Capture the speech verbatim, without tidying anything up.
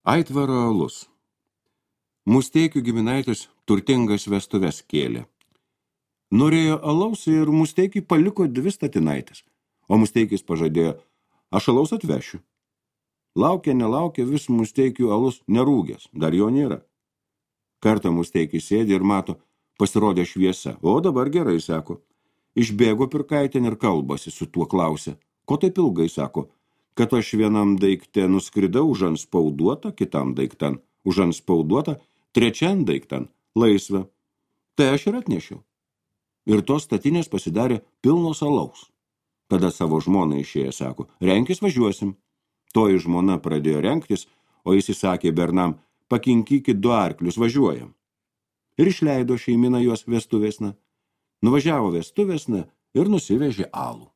Aitvaro alus. Musteikių giminaitis turtingas vestuves kėlė. Norėjo alaus ir Musteikiui paliko dvi statinaitės, o Musteikis pažadėjo, aš alaus atvešiu. Laukia, nelaukia, vis Musteikių alus nerūgęs, dar jo nėra. Kartą Musteikis sėdi ir mato, pasirodė šviesa, o dabar gerai, sako. Išbėgo pirkaitin ir kalbasi su tuo klausė. Ko taip ilgai, sako, kad aš vienam daikte nuskridau užanspauduotą, kitam daiktan užanspauduotą, trečiam daiktan laisvę. Tai aš ir atnešiau. Ir tos statinės pasidarė pilnos alaus. Tada savo žmoną išėję, sako, renkis važiuosim. Toji žmona pradėjo renktis, o jis įsakė bernam, pakinkykit du arklius, važiuojam. Ir išleido šeimina juos vestuvėsna. Nuvažiavo vestuvėsna ir nusivežė alų.